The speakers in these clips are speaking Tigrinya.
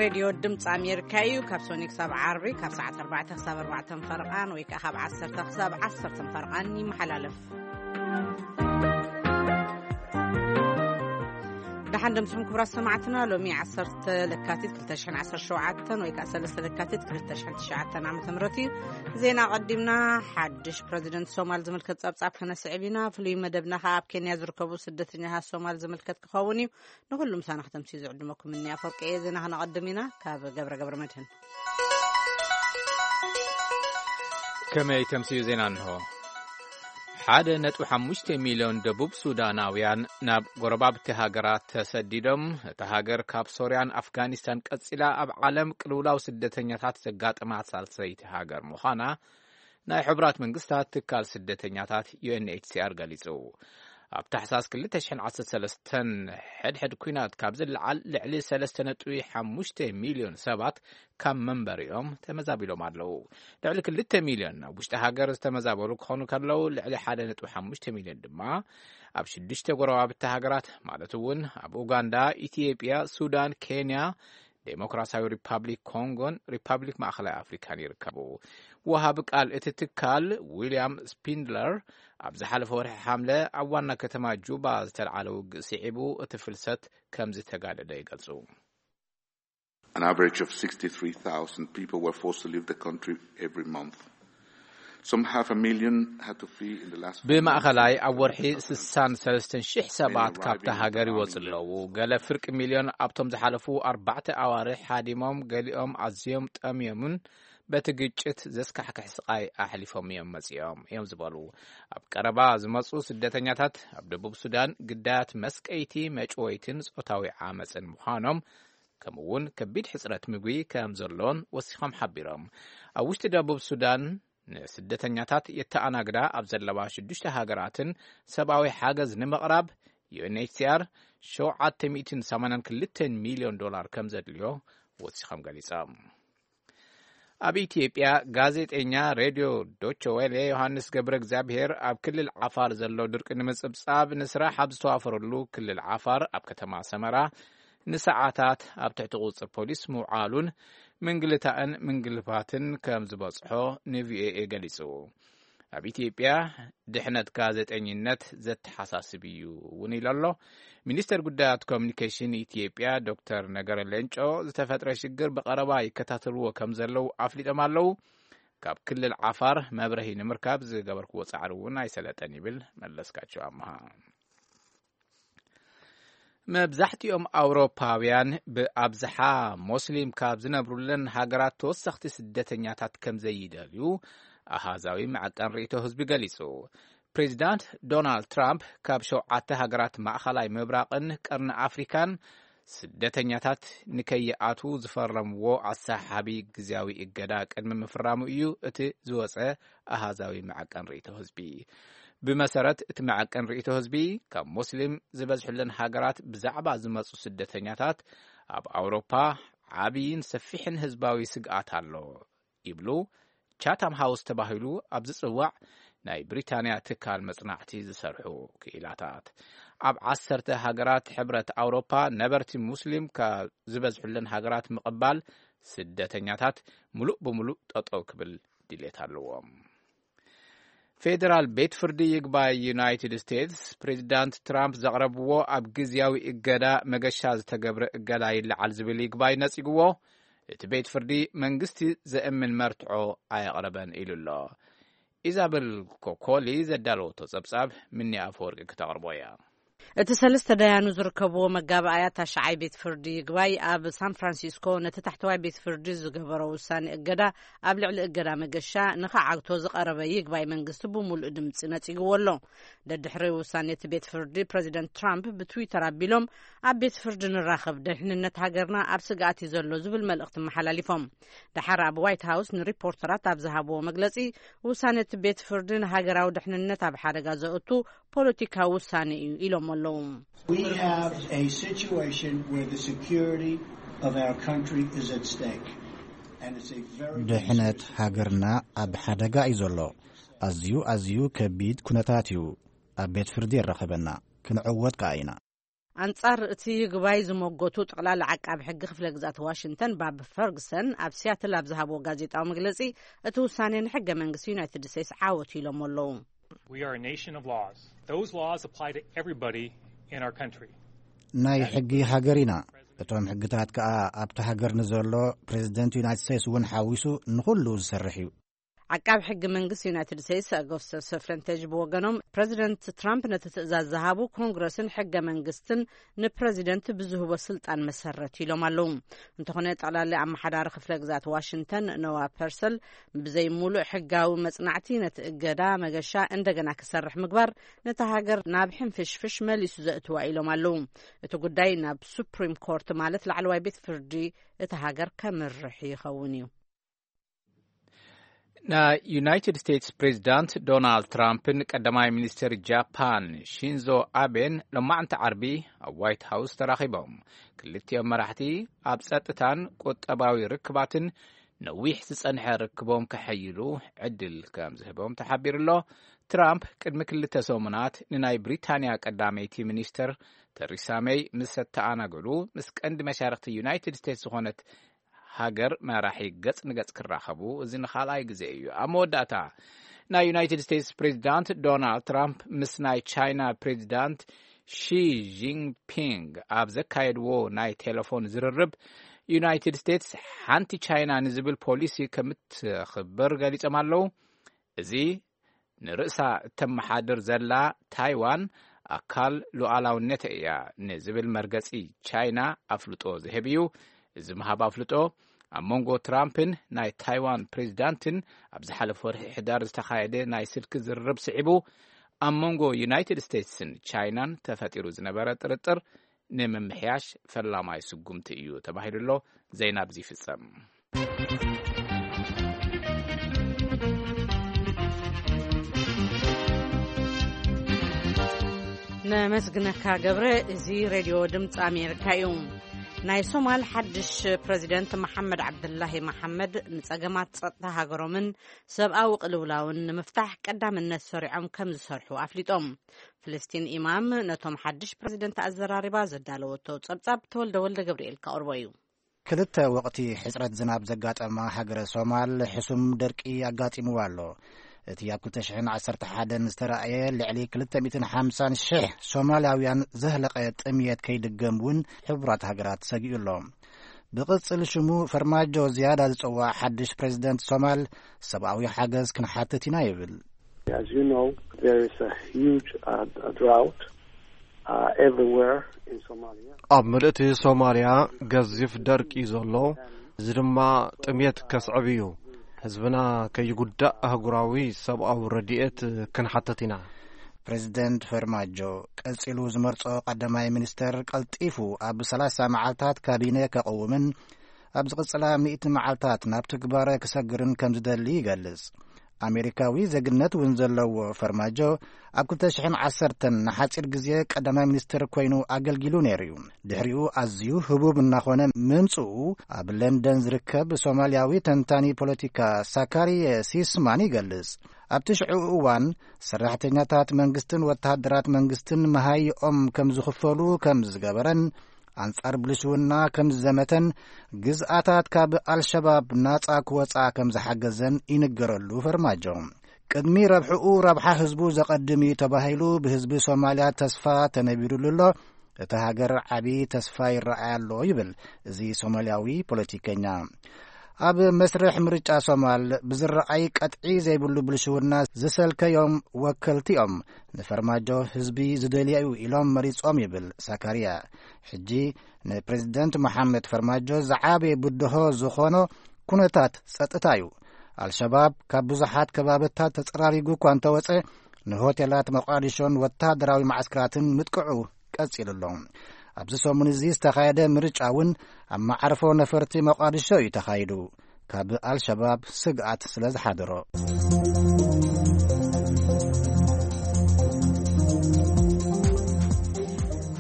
ሬድዮ ድምፂ ኣሜሪካ እዩ። ካብ ሶኒ ክሳብ ዓርቢ ካብ ሰዓት ኣርባዕተ ክሳብ ኣርባዕተ ፈርቓን ወይ ከዓ ካብ ዓሰርተ ክሳብ ዓሰርተ ፈርቓን ይመሓላለፍ። ደሓን ደምስኹም ክቡራት ሰማዕትና። ሎሚ ዓሰርተ ለካቲት ክልተ ሽሕን ዓሰርተ ሸውዓተን ወይ ከዓ ሰለስተ ለካቲት ክልተ ሽሕን ትሽዓተን ዓመተ ምህረት እዩ። ዜና ቀዲምና። ሓድሽ ፕረዚደንት ሶማል ዝምልከት ጸብጻብ ከነስዕብ ኢና። ፍሉይ መደብና ከዓ ኣብ ኬንያ ዝርከቡ ስደተኛታት ሶማል ዝምልከት ክኸውን እዩ። ንኹሉ ምሳና ከተምስዩ ዝዕድመኩም እኒ ኣፈወርቂ እየ። ዜና ክነቐድም ኢና ካብ ገብረ ገብረ መድህን። ከመይ ተምስዩ ዜና እንሆ። ሓደ ነጥቢ ሓሙሽተ ሚልዮን ደቡብ ሱዳናውያን ናብ ጎረባብቲ ሃገራት ተሰዲዶም። እታ ሃገር ካብ ሶርያን ኣፍጋኒስታን ቀጺላ ኣብ ዓለም ቅልውላው ስደተኛታት ዘጋጠማ ሳልሰይቲ ሃገር ምዃና ናይ ሕቡራት መንግስታት ትካል ስደተኛታት ዩ ኤን ኤች ሲ ኣር ገሊጹ። ኣብ ታሕሳስ ክልተ ሽሕን ዓሰርተ ሰለስተን ሕድሕድ ኲናት ካብ ዝለዓል ልዕሊ ሰለስተ ነጥቢ ሓሙሽተ ሚልዮን ሰባት ካብ መንበሪኦም ተመዛቢሎም ኣለዉ። ልዕሊ ክልተ ሚልዮን ኣብ ውሽጢ ሃገር ዝተመዛበሉ ክኾኑ ከለዉ፣ ልዕሊ ሓደ ነጥቢ ሓሙሽተ ሚልዮን ድማ ኣብ ሽዱሽተ ጎረባብቲ ሃገራት፣ ማለት እውን ኣብ ኡጋንዳ፣ ኢትዮጵያ፣ ሱዳን፣ ኬንያ፣ ዴሞክራሲያዊ ሪፓብሊክ ኮንጎን ሪፓብሊክ ማእኸላይ ኣፍሪካን ይርከቡ። ወሃቢ ቃል እቲ ትካል ዊልያም ስፒንድለር ኣብ ዝሓለፈ ወርሒ ሓምለ ኣብ ዋና ከተማ ጁባ ዝተልዓለ ውግእ ስዒቡ እቲ ፍልሰት ከም ዝተጋደደ ይገልጹ። An average of sixty-three thousand people were forced to leave the country every month. Some half a million had to flee in the last four months. ብማእኸላይ ኣብ ወርሒ ስሳን ሰለስተን ሽሕ ሰባት ካብታ ሃገር ይወፁ ኣለዉ። ገለ ፍርቂ ሚልዮን ኣብቶም ዝሓለፉ ኣርባዕተ ኣዋርሕ ሃዲሞም፣ ገሊኦም ኣዝዮም ጠምዮምን በቲ ግጭት ዘስካሕክሕ ስቓይ ኣሕሊፎም እዮም መፂኦም እዮም ዝበሉ። ኣብ ቀረባ ዝመፁ ስደተኛታት ኣብ ደቡብ ሱዳን ግዳያት መስቀይቲ፣ መጭወይትን ፆታዊ ዓመፅን ምዃኖም፣ ከምኡ እውን ከቢድ ሕጽረት ምግቢ ከም ዘሎን ወሲኾም ሓቢሮም። ኣብ ውሽጢ ደቡብ ሱዳን ንስደተኛታት የተኣናግዳ ኣብ ዘለዋ ሽዱሽተ ሃገራትን ሰብኣዊ ሓገዝ ንምቕራብ ዩ ኤን ኤች ሲ ኣር ሸውዓተ ሚእትን ሰማንያን ክልተን ሚልዮን ዶላር ከም ዘድልዮ ወሲኾም ገሊጾም። ኣብ ኢትዮጵያ ጋዜጠኛ ሬድዮ ዶቸ ዌለ ዮሃንስ ገብረ እግዚኣብሔር ኣብ ክልል ዓፋር ዘሎ ድርቂ ንምጽብጻብ ንስራሕ ኣብ ዝተዋፈረሉ ክልል ዓፋር ኣብ ከተማ ሰመራ ንሰዓታት ኣብ ትሕቲ ቁጽጽር ፖሊስ ምውዓሉን ምንግልታእን ምንግልፋትን ከም ዝበጽሖ ን ቪ ኦ ኤ ገሊጹ። ኣብ ኢትዮጵያ ድሕነት ጋዜጠኝነት ዘተሓሳስብ እዩ እውን ኢሉ ኣሎ። ሚኒስተር ጉዳያት ኮሚኒኬሽን ኢትዮጵያ ዶክተር ነገረ ሌንጮ ዝተፈጥረ ሽግር ብቐረባ ይከታተልዎ ከም ዘለዉ ኣፍሊጦም ኣለዉ። ካብ ክልል ዓፋር መብረሂ ንምርካብ ዝገበርክዎ ጻዕሪ እውን ኣይሰለጠን ይብል መለስካቸው ኣምሃ። መብዛሕትኦም ኣውሮፓውያን ብኣብዝሓ ሞስሊም ካብ ዝነብሩለን ሃገራት ተወሰኽቲ ስደተኛታት ከም ዘይደልዩ ኣሃዛዊ መዐቀን ርእይቶ ህዝቢ ገሊጹ። ፕሬዚዳንት ዶናልድ ትራምፕ ካብ ሸውዓተ ሃገራት ማእኸላይ ምብራቕን ቀርኒ ኣፍሪካን ስደተኛታት ንከይኣትዉ ዝፈረምዎ ኣሰሓሓቢ ግዝያዊ እገዳ ቅድሚ ምፍራሙ እዩ እቲ ዝወጸ ኣሃዛዊ መዐቀን ርእይቶ ህዝቢ። ብመሰረት እቲ መዐቀን ርእይቶ ህዝቢ፣ ካብ ሞስሊም ዝበዝሕለን ሃገራት ብዛዕባ ዝመጹ ስደተኛታት ኣብ ኣውሮፓ ዓብይን ሰፊሕን ህዝባዊ ስግኣት ኣሎ ይብሉ ቻታም ሃውስ ተባሂሉ ኣብ ዝጽዋዕ ናይ ብሪታንያ ትካል መጽናዕቲ ዝሰርሑ ክኢላታት። ኣብ ዓሰርተ ሃገራት ሕብረት ኣውሮፓ ነበርቲ ሙስሊም ካብ ዝበዝሑለን ሃገራት ምቕባል ስደተኛታት ምሉእ ብምሉእ ጠጠው ክብል ድሌት ኣለዎም። ፌዴራል ቤት ፍርዲ ይግባይ ዩናይትድ ስቴትስ ፕሬዚዳንት ትራምፕ ዘቕረብዎ ኣብ ግዝያዊ እገዳ መገሻ ዝተገብረ እገዳ ይለዓል ዝብል ይግባይ ነጺግዎ። እቲ ቤት ፍርዲ መንግስቲ ዘእምን መርትዖ ኣየቕረበን ኢሉ ኣሎ። ኢዛበል ኮኮሊ ዘዳለወቶ ጸብጻብ ምኒ ኣፈወርቂ ክተቕርቦ እያ። እቲ ሰለስተ ዳያኑ ዝርከብዎ መጋባእያ ታሽዓይ ቤት ፍርዲ ይግባይ ኣብ ሳን ፍራንሲስኮ ነቲ ታሕተዋይ ቤት ፍርዲ ዝገበሮ ውሳኔ እገዳ ኣብ ልዕሊ እገዳ መገሻ ንኸዓግቶ ዝቐረበ ይግባይ መንግስቲ ብምሉእ ድምፂ ነፂግዎ ኣሎ። ደድሕሪ ውሳኔ እቲ ቤት ፍርዲ ፕረዚደንት ትራምፕ ብትዊተር ኣቢሎም ኣብ ቤት ፍርዲ ንራኸብ፣ ደሕንነት ሃገርና ኣብ ስግኣት እዩ ዘሎ ዝብል መልእኽቲ መሓላሊፎም። ደሓር ኣብ ዋይት ሃውስ ንሪፖርተራት ኣብ ዝሃብዎ መግለፂ ውሳኔ እቲ ቤት ፍርዲ ንሃገራዊ ደሕንነት ኣብ ሓደጋ ዘእቱ ፖለቲካዊ ውሳኔ እዩ ኢሎም ኣለዉ። We have a situation where the security of our country is at stake. And it's a very ድሕነት ሃገርና ኣብ ሓደጋ እዩ ዘሎ። ኣዝዩ ኣዝዩ ከቢድ ኩነታት እዩ። ኣብ ቤት ፍርዲ የራኸበና። ክንዕወት ከኣ ኢና። ኣንጻር እቲ ይግባይ ዝመጎቱ ጠቕላላ ዓቃቢ ሕጊ ክፍለ ግዛት ዋሽንግተን ባብ ፈርግሰን ኣብ ሲያትል ኣብ ዝሃብዎ ጋዜጣዊ መግለጺ፣ እቲ ውሳኔ ንሕገ መንግስቲ ዩናይትድ ስቴትስ ዓወት ኢሎም ኣለዉ። We are a nation of laws. Those laws apply to everybody in our country. ናይ ሕጊ ሃገር ኢና። እቶም ሕግታት ከኣ ኣብቲ ሃገር ንዘሎ ፕሬዚደንት ዩናይትድ ስቴትስ እውን ሓዊሱ ንኹሉ ዝሰርሕ እዩ። ዓቃብ ሕጊ መንግስቲ ዩናይትድ ስቴትስ ኣጎስተ ሰፍረንቴጅ ብወገኖም፣ ፕሬዚደንት ትራምፕ ነቲ ትእዛዝ ዝሃቡ ኮንግረስን ሕገ መንግስትን ንፕሬዚደንት ብዝህቦ ስልጣን መሰረት ኢሎም ኣለዉ። እንተኾነ ጠቕላሊ ኣመሓዳሪ ክፍለ ግዛት ዋሽንግተን ኖዋ ፐርሰል ብዘይ ሙሉእ ሕጋዊ መጽናዕቲ ነቲ እገዳ መገሻ እንደገና ክሰርሕ ምግባር ነታ ሃገር ናብ ሕንፍሽፍሽ መሊሱ ዘእትዋ ኢሎም ኣለዉ። እቲ ጉዳይ ናብ ሱፕሪም ኮርት ማለት ላዕለዋይ ቤት ፍርዲ እታ ሃገር ከምርሕ ይኸውን እዩ። ናይ ዩናይትድ ስቴትስ ፕሬዚዳንት ዶናልድ ትራምፕን ቀዳማይ ሚኒስትር ጃፓን ሺንዞ ኣቤን ሎማዕንቲ ዓርቢ ኣብ ዋይት ሃውስ ተራኺቦም። ክልቲኦም መራሕቲ ኣብ ጸጥታን ቁጠባዊ ርክባትን ነዊሕ ዝጸንሐ ርክቦም ከሐይሉ ዕድል ከም ዝህቦም ተሓቢሩ ኣሎ። ትራምፕ ቅድሚ ክልተ ሰሙናት ንናይ ብሪታንያ ቀዳመይቲ ሚኒስትር ተሪሳ ሜይ ምስ ኣተኣናገዱ፣ ምስ ቀንዲ መሻርክቲ ዩናይትድ ስቴትስ ዝኾነት ሃገር መራሒ ገጽ ንገጽ ክራኸቡ እዚ ንኻልኣይ ግዜ እዩ። ኣብ መወዳእታ ናይ ዩናይትድ ስቴትስ ፕሬዚዳንት ዶናልድ ትራምፕ ምስ ናይ ቻይና ፕሬዚዳንት ሺ ጂንፒንግ ኣብ ዘካየድዎ ናይ ቴሌፎን ዝርርብ፣ ዩናይትድ ስቴትስ ሓንቲ ቻይና ንዝብል ፖሊሲ ከምትኽብር ገሊጾም ኣለዉ። እዚ ንርእሳ እተመሓድር ዘላ ታይዋን ኣካል ሉዓላውነት እያ ንዝብል መርገጺ ቻይና ኣፍልጦ ዝህብ እዩ። እዚ ምሃብ ኣፍልጦ ኣብ መንጎ ትራምፕን ናይ ታይዋን ፕሬዚዳንትን ኣብ ዝሓለፈ ወርሒ ሕዳር ዝተኻየደ ናይ ስልኪ ዝርርብ ስዒቡ፣ ኣብ መንጎ ዩናይትድ ስቴትስን ቻይናን ተፈጢሩ ዝነበረ ጥርጥር ንምምሕያሽ ፈላማይ ስጉምቲ እዩ ተባሂሉ ኣሎ። ዜና ኣብዚ ይፍጸም። ነመስግነካ ገብረ። እዚ ሬድዮ ድምፂ ኣሜሪካ እዩ። ናይ ሶማል ሓድሽ ፕረዚደንት መሓመድ ዓብዱላሂ መሓመድ ንጸገማት ጸጥታ ሃገሮምን ሰብኣዊ ቅልውላውን ንምፍታሕ ቀዳምነት ሰሪዖም ከም ዝሰርሑ ኣፍሊጦም። ፍልስቲን ኢማም ነቶም ሓድሽ ፕረዚደንት ኣዘራሪባ ዘዳለወቶ ጸብጻብ ተወልደ ወልደ ገብርኤል ከቕርቦ እዩ። ክልተ ወቕቲ ሕጽረት ዝናብ ዘጋጠማ ሃገረ ሶማል ሕሱም ደርቂ ኣጋጢምዋ ኣሎ። እቲ ኣብ ክልተ ሽሕን ዓሰርተ ሓደን ዝተራእየ ልዕሊ ክልተ ሚእትን ሓምሳን ሽሕ ሶማላውያን ዘህለቐ ጥምየት ከይድገም እውን ሕቡራት ሃገራት ሰጊኡ ኣሎ። ብቕጽል ሽሙ ፈርማጆ ዝያዳ ዝጽዋዕ ሓድሽ ፕሬዚደንት ሶማል ሰብኣዊ ሓገዝ ክንሓትት ኢና ይብል። As you know, there is a huge, uh, drought, uh, everywhere in Somalia. ኣብ ምልእቲ ሶማልያ ገዚፍ ደርቂ እዩ ዘሎ። እዚ ድማ ጥምየት ከስዕብ እዩ። ህዝብና ከይጉዳእ ኣህጉራዊ ሰብኣዊ ረድኤት ክንሓተት ኢና። ፕሬዚደንት ፈርማጆ ቀጺሉ ዝመርጾ ቀዳማይ ሚኒስተር ቀልጢፉ ኣብ ሰላሳ መዓልታት ካቢነ ከቕውምን ኣብ ዝቕጽላ ሚእቲ መዓልታት ናብ ትግባረ ክሰግርን ከም ዝደሊ ይገልጽ። ኣሜሪካዊ ዜግነት እውን ዘለዎ ፈርማጆ ኣብ ክልተ ሽሕን ዓሰርተን ንሓጺር ግዜ ቀዳማይ ሚኒስትር ኮይኑ ኣገልጊሉ ነይሩ እዩ። ድሕሪኡ ኣዝዩ ህቡብ እናኾነ ምምጽኡ ኣብ ለንደን ዝርከብ ሶማልያዊ ተንታኒ ፖለቲካ ሳካሪየ ሲስማን ይገልጽ። ኣብቲ ሽዑ እዋን ሰራሕተኛታት መንግስትን ወተሃደራት መንግስትን መሃይኦም ከም ዝኽፈሉ ከም ዝገበረን ኣንጻር ብልሽውና ከም ዝዘመተን ግዝኣታት ካብ ኣልሸባብ ናጻ ክወጻ ከም ዝሓገዘን ይንገረሉ ፈርማጆ። ቅድሚ ረብሕኡ ረብሓ ህዝቡ ዘቐድም እዩ ተባሂሉ ብህዝቢ ሶማልያ ተስፋ ተነቢሩሉ ኣሎ። እቲ ሃገር ዓቢ ተስፋ ይረኣይ ኣሎ ይብል እዚ ሶማልያዊ ፖለቲከኛ። ኣብ መስርሕ ምርጫ ሶማል ብዝረኣይ ቀጥዒ ዘይብሉ ብልሽውና ዝሰልከዮም ወከልቲ እዮም ንፈርማጆ ህዝቢ ዝደልዮ እዩ ኢሎም መሪጾም ይብል ሳካሪያ። ሕጂ ንፕሬዚደንት መሓመድ ፈርማጆ ዝዓበየ ብድሆ ዝኾኖ ኩነታት ጸጥታ እዩ። ኣልሸባብ ካብ ብዙሓት ከባብታት ተጸራሪጉ እኳ እንተወጸ ንሆቴላት መቃዲሾን ወታደራዊ ማዕስከራትን ምጥቅዑ ቀጺሉ ኣሎ። ኣብዚ ሰሙን እዚ ዝተኻየደ ምርጫ እውን ኣብ መዓርፎ ነፈርቲ መቃዲሾ እዩ ተኻይዱ። ካብ ኣልሸባብ ስግኣት ስለ ዝሓደሮ።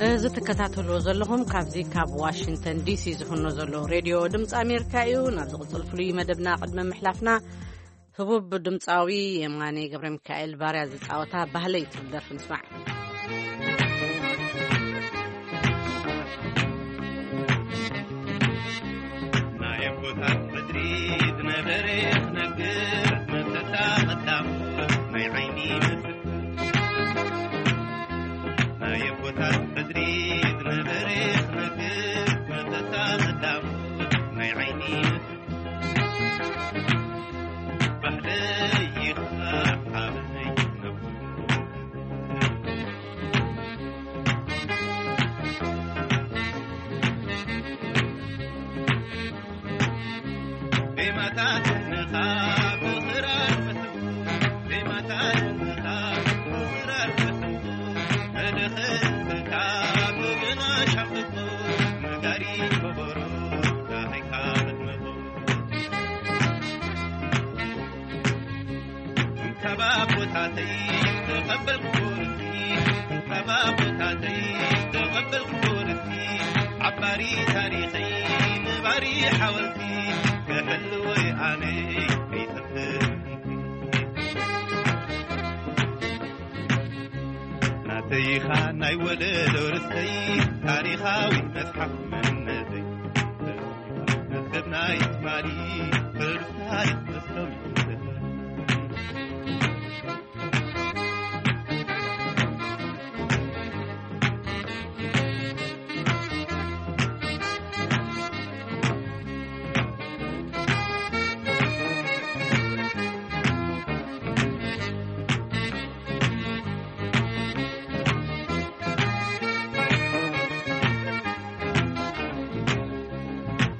እዚ ትከታተልዎ ዘለኹም ካብዚ ካብ ዋሽንግተን ዲሲ ዝፍኖ ዘሎ ሬድዮ ድምፂ ኣሜሪካ እዩ። ናብ ዝቕፅል ፍሉይ መደብና ቅድሚ ምሕላፍና ህቡብ ድምፃዊ የማነ ገብረ ሚካኤል ባርያ ዝፃወታ ባህለይ ትብል ደርፊ ንስማዕ። ካብ ኣቦታተይ ዝተቐበልኩዎ ርስቲ፣ ካብ ኣቦታተይ ዝተቐበልኩዎ ርስቲ፣ ዓባሪ ታሪኸይ ምባሪ ሓወልቲ፣ ክሕልወይ ኣነ ይጠፍእ። ናተይኻ ናይ ወለዶ ርስተይ፣ ታሪኻዊ መጽሓፍ መንነተይ፣ መዝገብ ናይ ትማሊ ቅርሳይ መስሎም።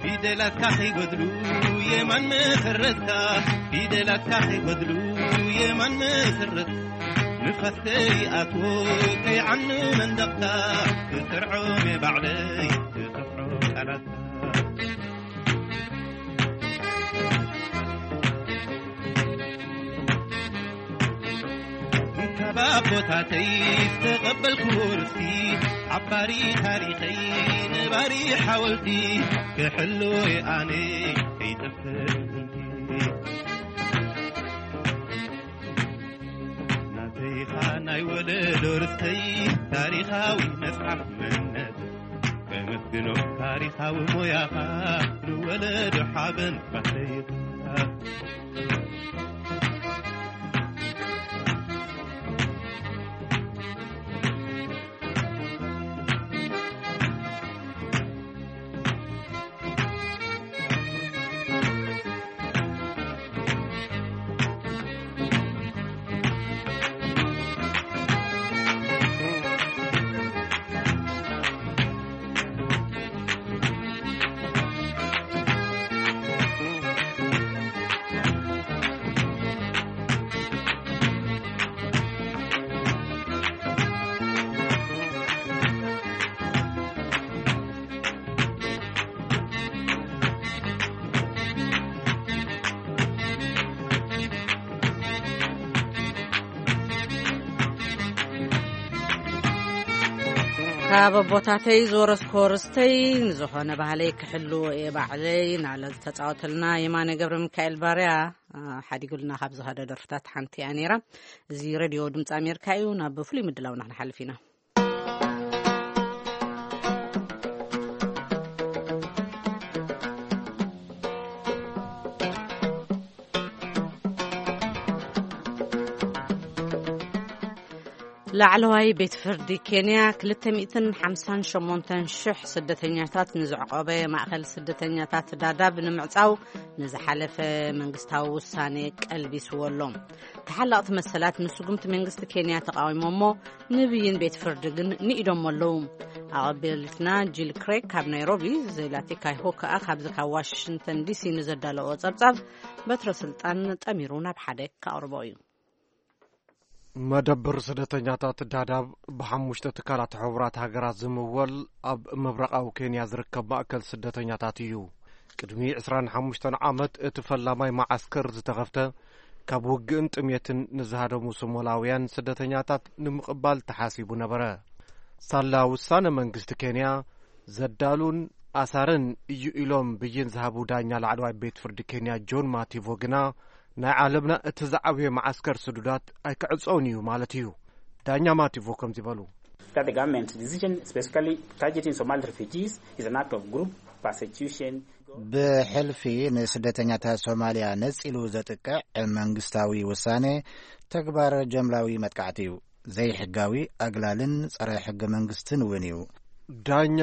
ፊደላትካ ከይጎድሉ የማን መሰረትካ፣ ፊደላትካ ከይጎድሉ የማን መሰረትካ፣ ንፋስ ከይኣትዎ ከይዓኑ መንደቕካ፣ ክሰርዖም እየ ባዕለይ ዝኸፍዖ ቃላትካ። ካብ ኣቦታተይ ዝተቐበልኩዎ ርስቲ፣ ዓባሪ ታሪኸይ ነባሪ ሓወልቲ፣ ክሕልዎ ኣነ ከይጠፍእ ጥንቲ። ናተይኻ ናይ ወለዶ ርስተይ፣ ታሪኻዊ መጽሓፍ መንነት፣ ከመስግኖ ታሪኻዊ ሞያኻ፣ ንወለዶ ሓበን ባሕተይኻ። ካብ ኣቦታተይ ዝወረስኮ ርስተይ፣ ንዝኾነ ባህለይ ክሕልዎ እየ ባዕለይ፣ ናለ ዝተጻወተልና የማነ ገብረ ሚካኤል ባርያ፣ አ፣ ሓዲጉልና ካብ ዝኸደ ደርፍታት ሓንቲ እያ ነይራ። እዚ ሬድዮ ድምፂ ኣሜሪካ እዩ። ናብ ፍሉይ ምድላውና ክንሓልፍ ኢና። ላዕለዋይ ቤት ፍርዲ ኬንያ ክልተ ሚእትን ሓምሳን ሸሞንተን ሽሕ ስደተኛታት ንዘዕቆበ ማእኸል ስደተኛታት ዳዳብ ንምዕጻው ንዝሓለፈ መንግስታዊ ውሳኔ ቀልቢስዎ ኣሎ። ተሓለቕቲ መሰላት ንስጉምቲ መንግስቲ ኬንያ ተቓዊሞሞ፣ ንብይን ቤት ፍርዲ ግን ንኢዶሞ ኣለዉ። ኣቐቢልትና ጂል ክሬግ ካብ ናይሮቢ፣ ዜላቲካ ይሆ ከኣ ካብዚ ካብ ዋሽንግተን ዲሲ ንዘዳለዎ ጸብጻብ በትረ ስልጣን ጠሚሩ ናብ ሓደ ከቕርቦ እዩ። መደብር ስደተኛታት ዳዳብ ብሓሙሽተ ትካላት ሕቡራት ሃገራት ዝምወል ኣብ ምብራቓዊ ኬንያ ዝርከብ ማእከል ስደተኛታት እዩ። ቅድሚ ዕስራን ሓሙሽተን ዓመት እቲ ፈላማይ መዓስከር ዝተኸፍተ፣ ካብ ውግእን ጥሜትን ንዝሃደሙ ሶማላውያን ስደተኛታት ንምቕባል ተሓሲቡ ነበረ። ሳላ ውሳነ መንግስቲ ኬንያ ዘዳሉን ኣሳርን እዩ ኢሎም ብይን ዝሃቡ ዳኛ ላዕለዋይ ቤት ፍርዲ ኬንያ ጆን ማቲቮ ግና፣ ናይ ዓለምና እቲ ዝዓበየ መዓስከር ስዱዳት ኣይክዕጸውን እዩ ማለት እዩ። ዳኛ ማቲቮ ከምዚ በሉ። That the government's decision, specifically targeting Somali refugees, is an act of group persecution. ብሕልፊ ንስደተኛታት ሶማልያ ነጺሉ ዘጥቅዕ መንግስታዊ ውሳኔ ተግባር ጀምላዊ መጥቃዕቲ እዩ። ዘይሕጋዊ፣ ኣግላልን ጸረ ሕገ መንግስትን እውን እዩ። ዳኛ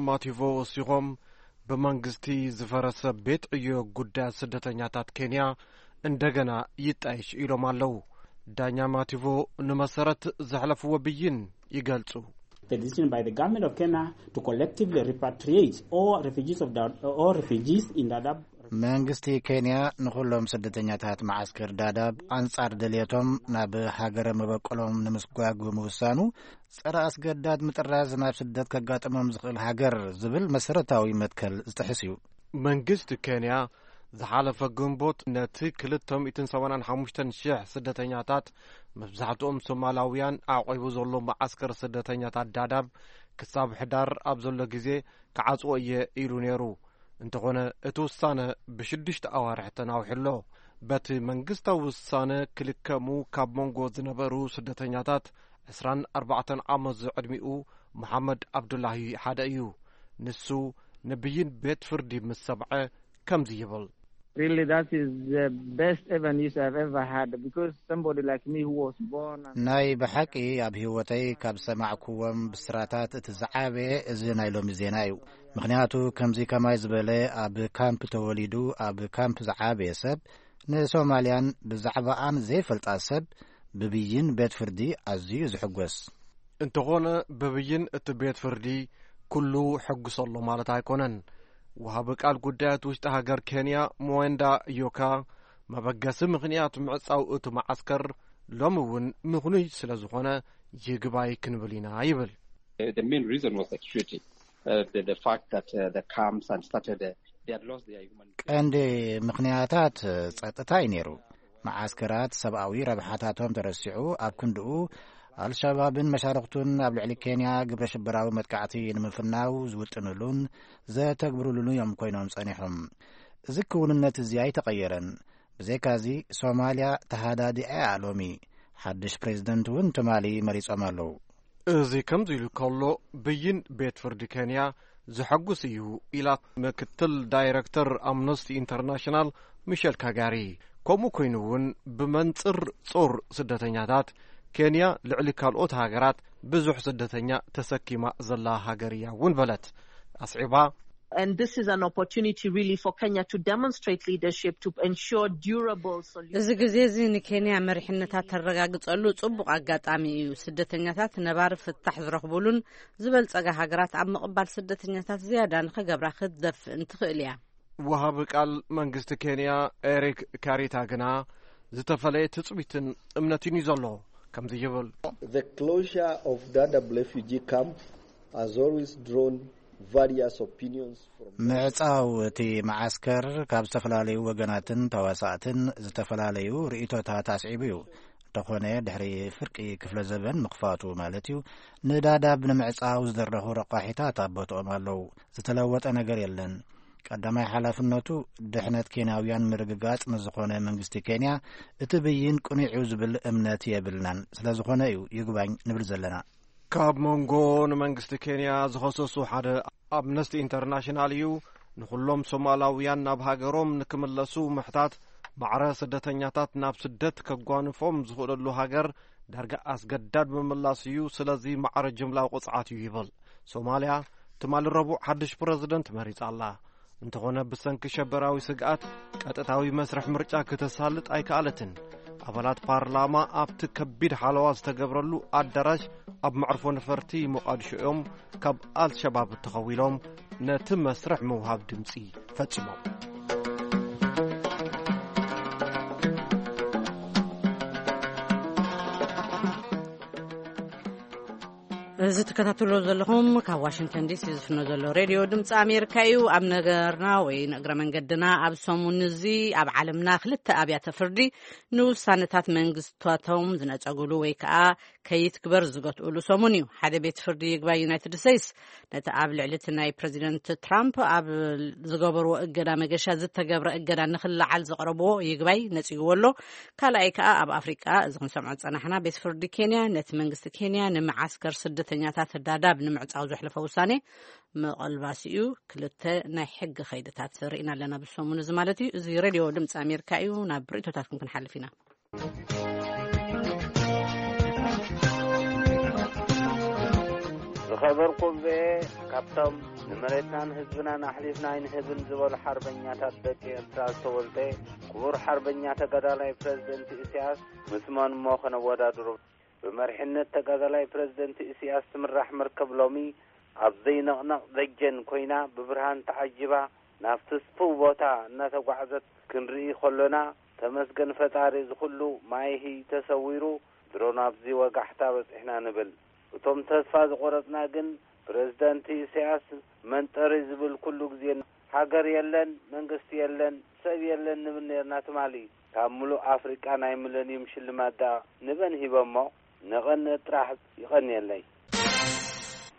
ማቲቮ ወሲኾም፣ ብመንግስቲ ዝፈረሰ ቤት ዕዮ ጉዳያት ስደተኛታት ኬንያ እንደገና ይጣየሽ ኢሎም ኣለዉ። ዳኛ ማቲቮ ንመሰረት ዘሕለፍዎ ብይን ይገልጹ። The decision by the government of Kenya to collectively repatriate all refugees of Dad-, all refugees in Dadaab. መንግስቲ ኬንያ ንኹሎም ስደተኛታት መዓስከር ዳዳብ ኣንጻር ድልየቶም ናብ ሃገረ መበቆሎም ንምስጓግ ብምውሳኑ፣ ጸረ ኣስገዳድ ምጥራዝ ናብ ስደት ከጋጥሞም ዝኽእል ሃገር ዝብል መሰረታዊ መትከል ዝጥሕስ እዩ። መንግስቲ ኬንያ ዝሓለፈ ግንቦት ነቲ ክልተ ሚእትን ሰማንያን ሓሙሽተን ሽሕ ስደተኛታት፣ መብዛሕትኦም ሶማላውያን፣ ኣዕቂቡ ዘሎ መዓስከር ስደተኛታት ዳዳብ ክሳብ ሕዳር ኣብ ዘሎ ግዜ ክዓጽዎ እየ ኢሉ ነይሩ። እንተኾነ እቲ ውሳነ ብሽዱሽተ ኣዋርሕ ተናዊሑ ኣሎ። በቲ መንግስታዊ ውሳነ ክልከሙ ካብ መንጎ ዝነበሩ ስደተኛታት ዕስራን ኣርባዕተን ዓመት ዝዕድሚኡ መሓመድ ኣብዱላሂ ሓደ እዩ። ንሱ ንብይን ቤት ፍርዲ ምስ ሰምዐ ከምዚ ይብል። Really, that is the best ever news I've ever had, because somebody like me who was born and ናይ ብሓቂ ኣብ ህይወተይ ካብ ሰማዕኩዎም ብስራታት እቲ ዝዓበየ እዚ ናይ ሎሚ ዜና እዩ። ምኽንያቱ ከምዚ ከማይ ዝበለ ኣብ ካምፕ ተወሊዱ ኣብ ካምፕ ዝዓበየ ሰብ፣ ንሶማልያን ብዛዕባኣን ዘይፈልጣ ሰብ ብብይን ቤት ፍርዲ ኣዝዩ ዝሕጎስ። እንተኾነ ብብይን እቲ ቤት ፍርዲ ኩሉ ሕጉስ ኣሎ ማለት ኣይኮነን። ወሃቢ ቃል ጉዳያት ውሽጢ ሃገር ኬንያ ሞዌንዳ ዮካ፣ መበገሲ ምኽንያት ምዕጻው እቲ መዓስከር ሎሚ እውን ምኽኑይ ስለ ዝኾነ ይግባይ ክንብል ኢና ይብል። The main reason was the security, uh, the, the fact that uh, the camps and started uh, they had lost their human ቀንዲ ምኽንያታት ጸጥታ እዩ ነይሩ። መዓስከራት ሰብኣዊ ረብሓታቶም ተረሲዑ፣ ኣብ ክንድኡ ኣልሸባብን መሻርኽቱን ኣብ ልዕሊ ኬንያ ግብረ ሽበራዊ መጥቃዕቲ ንምፍናው ዝውጥንሉን ዘተግብርሉን እዮም ኮይኖም ጸኒሖም። እዚ ክውንነት እዚ ኣይተቐየረን። ብዘይካዚ ሶማልያ ተሃዳዲኣ እያ ሎሚ። ሓድሽ ፕሬዝደንት እውን ትማሊ መሪጾም ኣለዉ። እዚ ከምዚ ኢሉ ከሎ፣ ብይን ቤት ፍርዲ ኬንያ ዘሐጉስ እዩ ኢላ ምክትል ዳይረክተር ኣምነስቲ ኢንተርናሽናል ሚሸል ካጋሪ። ከምኡ ኮይኑ እውን ብመንጽር ጾር ስደተኛታት ኬንያ ልዕሊ ካልኦት ሃገራት ብዙሕ ስደተኛ ተሰኪማ ዘላ ሃገር እያ እውን በለት። ኣስዒባ And this is an opportunity really for Kenya to demonstrate leadership to ensure durable solutions. እዚ ግዜ እዚ ንኬንያ መሪሕነታት ተረጋግጸሉ ጽቡቕ ኣጋጣሚ እዩ። ስደተኛታት ነባሪ ፍታሕ ዝረኽቡሉን ዝበልጸጋ ሃገራት ኣብ ምቕባል ስደተኛታት ዝያዳ ንኸገብራ ክትደፍእን ትኽእል እያ። ወሃቢ ቃል መንግስቲ ኬንያ ኤሪክ ካሪታ ግና ዝተፈለየ ትጽቢትን እምነትን እዩ ዘሎ። ከምዚ ይብል። The closure of Dadaab refugee camp has always drawn various opinions from ምዕጻው እቲ መዓስከር ካብ ዝተፈላለዩ ወገናትን ተዋሳእትን ዝተፈላለዩ ርእይቶታት ኣስዒቡ እዩ። እንተኾነ ድሕሪ ፍርቂ ክፍለ ዘበን ምኽፋቱ ማለት እዩ፣ ንዳዳብ ንምዕጻው ዝደረኹ ረቋሒታት ኣብ ቦትኦም ኣለዉ። ዝተለወጠ ነገር የለን። ቀዳማይ ሓላፍነቱ ድሕነት ኬንያውያን ምርግጋጽ ንዝኾነ መንግስቲ ኬንያ እቲ ብይን ቅኑዕ እዩ ዝብል እምነት የብልናን። ስለ ዝኾነ እዩ ይግባኝ ንብል ዘለና። ካብ መንጎ ንመንግስቲ ኬንያ ዝኸሰሱ ሓደ ኣምነስቲ ኢንተርናሽናል እዩ። ንኹሎም ሶማላውያን ናብ ሃገሮም ንክምለሱ ምሕታት፣ ማዕረ ስደተኛታት ናብ ስደት ከጓንፎም ዝኽእለሉ ሃገር ዳርጋ ኣስገዳድ ምምላስ እዩ። ስለዚ ማዕረ ጅምላዊ ቅጽዓት እዩ ይብል። ሶማልያ ትማሊ ረቡዕ ሓድሽ ፕረዚደንት መሪጻ ኣላ። እንተኾነ ብሰንኪ ሸበራዊ ስግኣት ቀጥታዊ መስርሕ ምርጫ ክተሳልጥ ኣይከኣለትን። ኣባላት ፓርላማ ኣብቲ ከቢድ ሓለዋ ዝተገብረሉ ኣዳራሽ ኣብ መዕርፎ ነፈርቲ ሞቓድሾ እዮም ካብ ኣልሸባብ ተኸዊሎም ነቲ መስርሕ ምውሃብ ድምጺ ፈጺሞም። እዚ ትከታተሎ ዘለኹም ካብ ዋሽንግተን ዲሲ ዝፍኖ ዘሎ ሬድዮ ድምፂ ኣሜሪካ እዩ። ኣብ ነገርና ወይ ንእግረ መንገድና፣ ኣብ ሰሙን እዚ ኣብ ዓለምና ክልተ ኣብያተ ፍርዲ ንውሳነታት መንግስታቶም ዝነጸግሉ ወይ ከዓ ከይትግበር ዝገትኡሉ ሰሙን እዩ። ሓደ ቤት ፍርዲ ይግባይ ዩናይትድ ስቴትስ ነቲ ኣብ ልዕሊ እቲ ናይ ፕረዚደንት ትራምፕ ኣብ ዝገበርዎ እገዳ መገሻ ዝተገብረ እገዳ ንክለዓል ዘቕረብዎ ይግባይ ነጺግዎ ኣሎ። ካልኣይ ከኣ ኣብ ኣፍሪቃ፣ እዚ ክንሰምዖ ዝጸናሕና፣ ቤት ፍርዲ ኬንያ ነቲ መንግስቲ ኬንያ ንመዓስከር ስደተኛታት ዳዳብ ንምዕጻው ዘሕለፎ ውሳኔ ምቕልባስ እዩ። ክልተ ናይ ሕጊ ከይድታት ርኢና ኣለና ብሰሙን እዚ ማለት እዩ። እዚ ሬድዮ ድምፂ ኣሜሪካ እዩ። ናብ ርእይቶታትኩም ክንሓልፍ ኢና። ዝኸበርኩም ቪኦኤ፣ ካብቶም ንመሬትናን ህዝብናን ኣሕሊፍና ኣይንህብን ዝበሉ ሓርበኛታት ደቂ ኤርትራ ዝተወልደ ክቡር ሓርበኛ ተጋዳላይ ፕረዚደንት ኢሳያስ ምስ መን እሞ ከነወዳድሮ? ብመሪሕነት ተጋዳላይ ፕረዚደንት ኢሳያስ ትምራሕ መርከብ ሎሚ ኣብ ዘይንቕነቕ ደጀን ኮይና ብብርሃን ተዓጂባ ናብ ትስፉው ቦታ እናተጓዕዘት ክንርኢ ከሎና፣ ተመስገን ፈጣሪ፣ እዚ ኩሉ ማይሂ ተሰዊሩ፣ ድሮ ናብዚ ወጋሕታ በጺሕና ንብል። እቶም ተስፋ ዝቖረጽና ግን፣ ፕረዚደንት ኢሳያስ መንጠሪ ዝብል ኩሉ ግዜ፣ ሃገር የለን፣ መንግስቲ የለን፣ ሰብ የለን ንብል ነርና ትማሊ። ካብ ምሉእ ኣፍሪቃ ናይ ሚለንዩም ሽልማት ደኣ ንበን ሂበሞ። ንቐንእ ጥራሕ። ይቐንየለይ።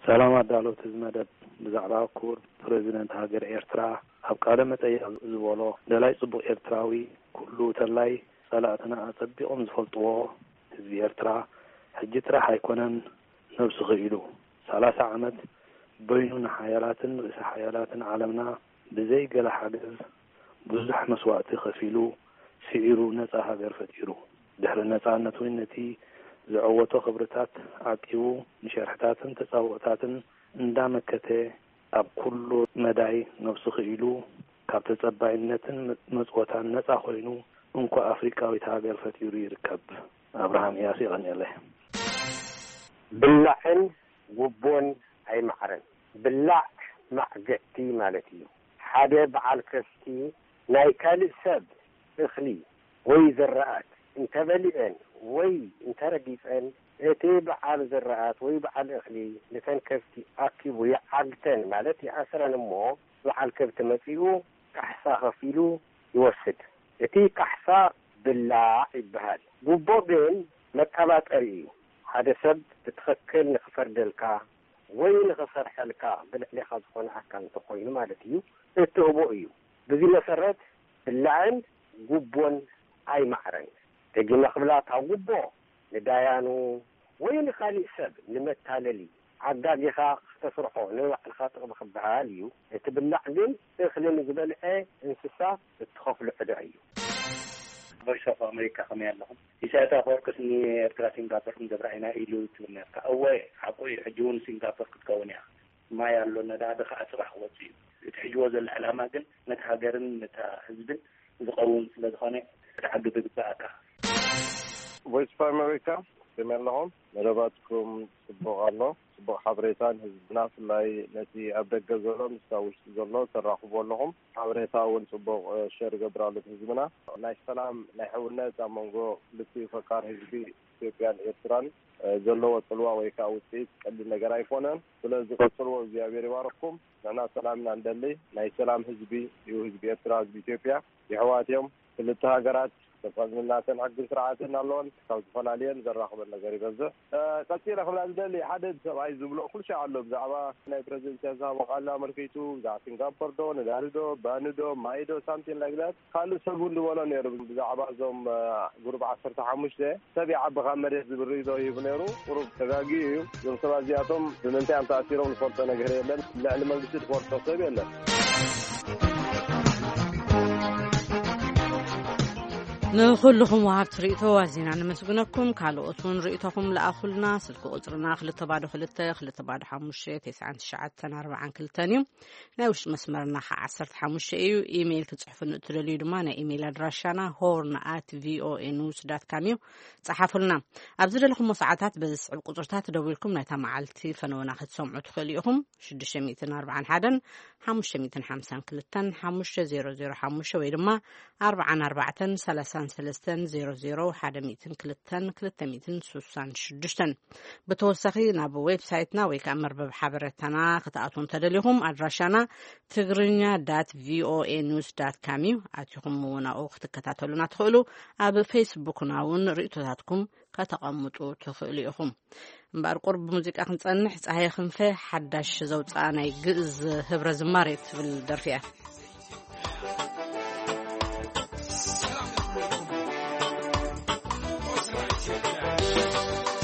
ሰላም ኣዳለውቲ እዚ መደብ። ብዛዕባ ክቡር ፕረዚደንት ሃገር ኤርትራ ኣብ ቃለ መጠይቕ ዝበሎ፣ ደላይ ጽቡቕ ኤርትራዊ ኩሉ ተላይ ጸላእትና ኣጸቢቖም ዝፈልጥዎ ህዝቢ ኤርትራ ሕጂ ጥራሕ ኣይኮነን ነብሱ ክኢሉ ሰላሳ ዓመት በይኑ ንሓያላትን ርእሰ ሓያላትን ዓለምና ብዘይ ገለ ሓገዝ ብዙሕ መስዋእቲ ከፊሉ ስዒሩ ነጻ ሃገር ፈጢሩ። ድሕሪ ነጻነት እውን ነቲ ዘዐወቶ ክብርታት ዓቂቡ ንሸርሕታትን ተጻብኦታትን እንዳመከተ ኣብ ኩሉ መዳይ ነብሱ ክኢሉ ካብ ተጸባይነትን መጽወታን ነጻ ኮይኑ እንኮ ኣፍሪቃዊት ሃገር ፈጢሩ ይርከብ። ኣብርሃም እያሱ ይቐንየለይ። ብላዕን ጉቦን ኣይማዕረን። ብላዕ ማዕገቲ ማለት እዩ። ሓደ በዓል ከፍቲ ናይ ካልእ ሰብ እኽሊ ወይ ዝራኣት እንተበሊዐን ወይ እንተረጊፀን እቲ በዓል ዝራኣት ወይ በዓል እኽሊ ነተን ከፍቲ ኣኪቡ ይዓግተን ማለት ይኣስረን እሞ በዓል ከብቲ መፂኡ ካሕሳ ከፊሉ ይወስድ። እቲ ካሕሳ ብላዕ ይበሃል። ጉቦ ግን መቀባጠሪ እዩ። ሓደ ሰብ ብትኽክል ንክፈርደልካ ወይ ንኽሰርሐልካ ብልዕሌኻ ዝኾነ ኣካል እንተኾይኑ ማለት እዩ፣ እትህቦ እዩ። ብዚ መሰረት ብላዕን ጉቦን ኣይማዕረን። ደጊመ ክብላ እታ ጉቦ ንዳያኑ ወይ ንኻሊእ ሰብ ንመታለሊ ዓጋጊኻ ክተስርሖ ንባዕልኻ ጥቕሚ ክበሃል እዩ። እቲ ብላዕ ግን እኽሊ ንዝበልዐ እንስሳ እትኸፍሎ ዕዳ እዩ። ቮይስ ኦፍ ኣሜሪካ ከመይ ኣለኹም? ኢሳያስ ኣፈወርቅስ ንኤርትራ ሲንጋፖር ክንገብራ ኢና ኢሉ ትብል ነርካ። እወ ሓቁ እዩ። ሕጂ እውን ሲንጋፖር ክትከውን እያ። ማይ ኣሎ ነዳዲ ከዓ ፅባሕ ክወፅእ እዩ። እቲ ሕጅዎ ዘሎ ዕላማ ግን ነቲ ሃገርን ነታ ህዝብን ዝኸውን ስለዝኾነ ክትዓግብ ይግበኣካ። ቮይስ ኦፍ ኣሜሪካ ከመይ ኣለኹም? መደባትኩም ፅቡቕ ኣሎ። ፅቡቕ ሓበሬታ ንህዝብና ብፍላይ ነቲ ኣብ ደገ ዘሎ ምስታ ውሽጢ ዘሎ ተራኽቡ ኣለኹም። ሓበሬታ እውን ፅቡቕ ሸር ይገብር ኣሎ ህዝብና። ናይ ሰላም ናይ ሕውነት ኣብ መንጎ ክልቲኡ ፈቃር ህዝቢ ኢትዮጵያን ኤርትራን ዘለዎ ፅልዋ ወይ ከዓ ውፅኢት ቀሊል ነገር ኣይኮነን። ስለዚ ቀፅልዎ እግዚኣብሔር ይባርኩም። ንሕና ሰላም ኢና ንደሊ። ናይ ሰላም ህዝቢ እዩ ህዝቢ ኤርትራ ህዝቢ ኢትዮጵያ። የሕዋት እዮም። ክልተ ሃገራት ተፈናተን ሕግን ስርዓትን ኣለዎን ካብ ዝተፈላለየን ዘራኽበን ነገር ይበዝሕ። ቀፂለ ክብላ ዝደሊ ሓደ ሰብኣይ ዝብሎ ኩልሻ ኣሎ ብዛዕባ ናይ ፕረዚደንት ኢሳያስ ዝሃቦ ቃል ኣመልኪቱ ብዛዕባ ሲንጋፖር ዶ ነዳዲ ዶ ባኒ ዶ ማይ ዶ ሳምቲን ላይክ ዳት ካልእ ሰብ እውን ዝበሎ ነይሩ ብዛዕባ እዞም ጉሩብ ዓሰርተ ሓሙሽተ ሰብ ይዓቢ ካብ መሬት ዝብል ርእይቶ ሂቡ ነይሩ። ቁሩብ ተጋጊኡ እዩ። እዞም ሰባት እዚኣቶም ብምንታይ እዮም ተኣሲሮም ዝፈልጦ ነገር የለን። ልዕሊ መንግስቲ ዝፈልጦ ሰብ የለን። ንኹልኹም ወሃብቲ ርእይቶ ኣዚና ነመስግነኩም። ካልኦት እውን ርእይቶኹም ለኣኹልና። ስልኪ ቁፅርና ክልተ ባዶ ክልተ ክልተ ባዶ ሓሙሽተ ተስዓን ትሽዓተን ኣርባዓን ክልተን እዩ። ናይ ውሽጢ መስመርና ከዓ ዓሰርተ ሓሙሽተ እዩ። ኢሜይል ክትፅሕፉ እትደልዩ ድማ ናይ ኢሜይል ኣድራሻና ሆርን ኣት ቪኦኤ ኒውስ ዳት ካም እዩ። ፀሓፉልና። ኣብ ዝደለኹሞ ሰዓታት በዚ ዝስዕብ ቁፅርታት ደዊልኩም ናይታ መዓልቲ ፈነወና ክትሰምዑ ትኽእሉ ኢኹም። ሽዱሽተ ሚእትን ኣርባዓን ሓደን ሓሙሽተ ሚእትን ሓምሳን ክልተን ሓሙሽተ ዜሮ ዜሮ ሓሙሽተ ወይ ድማ ኣርባዓን ኣርባዕተን ሰላሳን ሰለስተን ዜሮ ዜሮ ሓደ ሚእትን ክልተን ክልተ ሚእትን ስሳን ሽዱሽተን። ብተወሳኺ ናብ ዌብሳይትና ወይ ከዓ መርበብ ሓበሬታና ክትኣትዉ እንተደሊኹም ኣድራሻና ትግርኛ ዳት ቪኦኤ ኒውስ ዳት ካም እዩ። ኣቲኹም እውን ኣብኡ ክትከታተሉና ትኽእሉ። ኣብ ፌስቡክና እውን ርእይቶታትኩም ከተቐምጡ ትኽእሉ ኢኹም። እምበኣር ቁሩብ ብሙዚቃ ክንጸንሕ፣ ጸሃየ ክንፈ ሓዳሽ ዘውጽኣ ናይ ግእዝ ህብረ ዝማሬ ትብል ደርፊ እያ።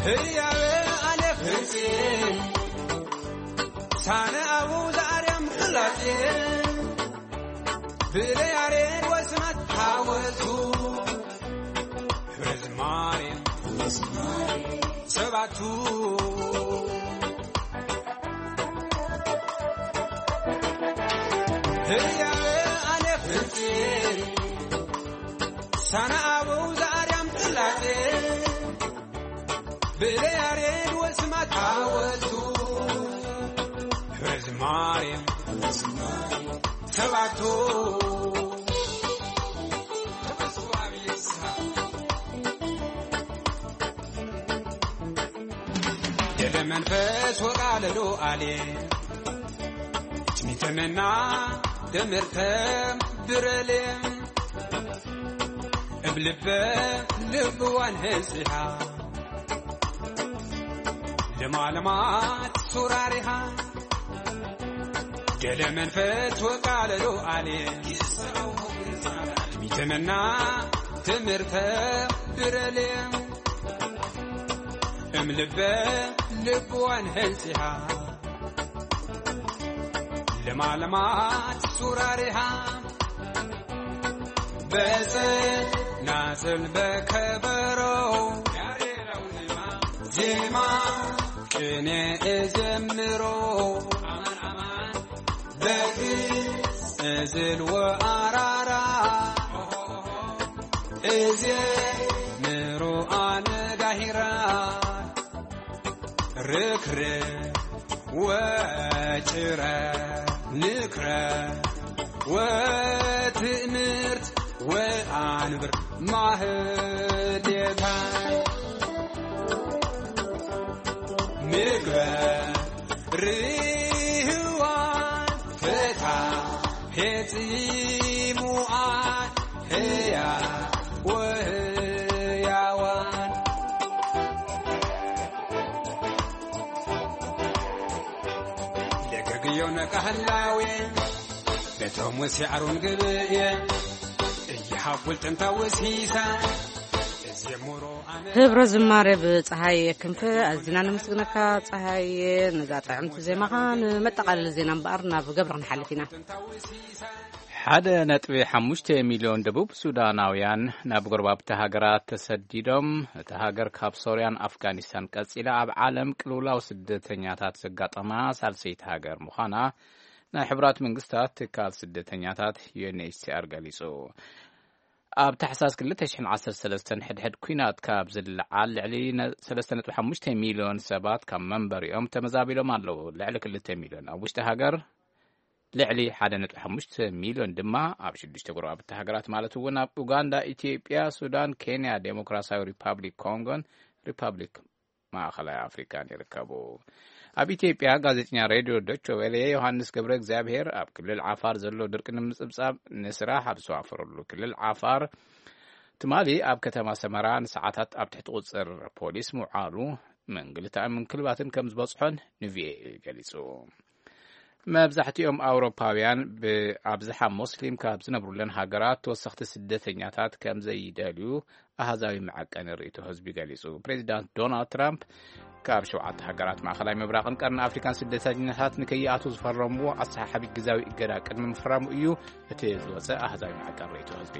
ህያበ ኣነ ፍርፂ ሳነ ኣቡ ዘኣርያም ፍላጤ ብለያሬድ ወስማት ሓወልቱ ህዝማሬ ሰባቱ ህያበ ኣነ ፍርፂ ሳነ ኣቡ ዘኣርያም ፍላጤ ብለያሬድ ወስማት ሓወልቱ ህዝማሬ ሰባቱ ደለ መንፈስ ወቃለሉ ኣሌ ትሚተመና ደምርተም ብረሌ ልበ ልብዋን ህንጽሃ ለማለማት ሱራሪሃ ገለ መንፈት ወቃለሉ ኣሌ ሚተመና ትምህርተ ብረሌ እም ልበ ልብዋን ህንጽሃ ለማለማት ሱራሪሃ በዘ ናዘል በከበሮ ዜማ ቅኔ እዘምሮ በዚ እዝል ወኣራራ እዜ ምሮ ኣነጋሂራ ርክረ ወጭረ ንክረ ወትእምርት ወኣንብር ማህሌታ ምግበ ርህዋ ፈታ ሄጺሙኣ ህያ ወህያዋን ለገግዮ ነቃህላዌ በቶም ወሲዓሩን ግብእየ እይሃቡል ጥንታ ወሲሳ እዝየሙሮ ኣነ ህብረ ዝማሬ ብፀሃየ ክንፈ ኣዚና ነመስግነካ። ፀሃየ፣ ነዛ ጥዕምቲ ዜማኻ። ንመጠቓለሊ ዜና እምበኣር ናብ ገብረ ክንሓልፍ ኢና። ሓደ ነጥቢ ሓሙሽተ ሚልዮን ደቡብ ሱዳናውያን ናብ ጎረባብቲ ሃገራት ተሰዲዶም፣ እታ ሃገር ካብ ሶርያን ኣፍጋኒስታን ቀጺላ ኣብ ዓለም ቅልውላው ስደተኛታት ዘጋጠማ ሳልሰይቲ ሃገር ምዃና ናይ ሕቡራት መንግስታት ትካል ስደተኛታት ዩ ኤን ኤች ሲ ኣር ገሊጹ። ኣብ ታሕሳስ ክልተ ሽሕን ዓሰርተ ሰለስተን ሕድሕድ ኲናት ካብ ዝለዓል ልዕሊ ነ-፣ ሰለስተ ነጥቢ ሓሙሽተ ሚልዮን ሰባት ካብ መንበሪኦም ተመዛቢሎም ኣለዉ። ልዕሊ ክልተ ሚልዮን ኣብ ውሽጢ ሃገር ልዕሊ ሓደ ነጥቢ ሓሙሽተ ሚልዮን ድማ ኣብ ሽዱሽተ ጎረባብቲ ሃገራት ማለት እውን ኣብ ኡጋንዳ፣ ኢትዮጵያ፣ ሱዳን፣ ኬንያ፣ ዴሞክራሲያዊ ሪፓብሊክ ኮንጎን ሪፓብሊክ ማእኸላይ ኣፍሪካን ይርከቡ። ኣብ ኢትዮጵያ ጋዜጠኛ ሬድዮ ዶቼ ቬለ ዮሃንስ ገብረ እግዚኣብሔር ኣብ ክልል ዓፋር ዘሎ ድርቂ ንምጽብጻብ ንስራሕ ኣብ ዝዋፈረሉ ክልል ዓፋር ትማሊ ኣብ ከተማ ሰመራ ንሰዓታት ኣብ ትሕቲ ቁጽር ፖሊስ ምውዓሉ ምንግልታዕን ምንክልባትን ከም ዝበጽሖን ንቪኦኤ ገሊጹ። መብዛሕትኦም ኣውሮፓውያን ብኣብዝሓ ሞስሊም ካብ ዝነብሩለን ሃገራት ተወሰኽቲ ስደተኛታት ከም ዘይደልዩ ኣሃዛዊ መዐቀኒ ርእይቶ ህዝቢ ገሊጹ። ፕሬዚዳንት ዶናልድ ትራምፕ ካብ ሸውዓተ ሃገራት ማእኸላይ ምብራቕን ቀርኒ ኣፍሪካን ስደተኛታት ንከይኣትዉ ዝፈረምዎ ኣሰሓሓቢ ግዛዊ እገዳ ቅድሚ ምፍራሙ እዩ እቲ ዝወፀ ኣሃዛዊ መዐቀኒ ርእይቶ ህዝቢ።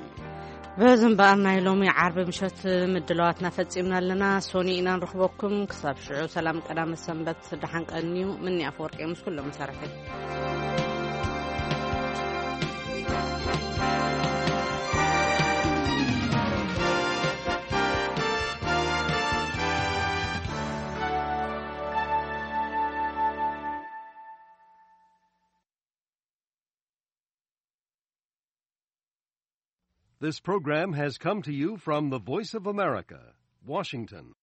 በዚ እምበኣር ናይ ሎሚ ዓርቢ ምሸት ምድላዋትና ፈጺምና ኣለና። ሶኒ ኢና ንረኽበኩም። ክሳብ ሽዑ ሰላም ቀዳመ ሰንበት፣ ደሓን ቀንዩ። ምኒ ኣፈወርቂ ምስ ኩሎም መሳርሒ። This program has come to you from the Voice of America, Washington.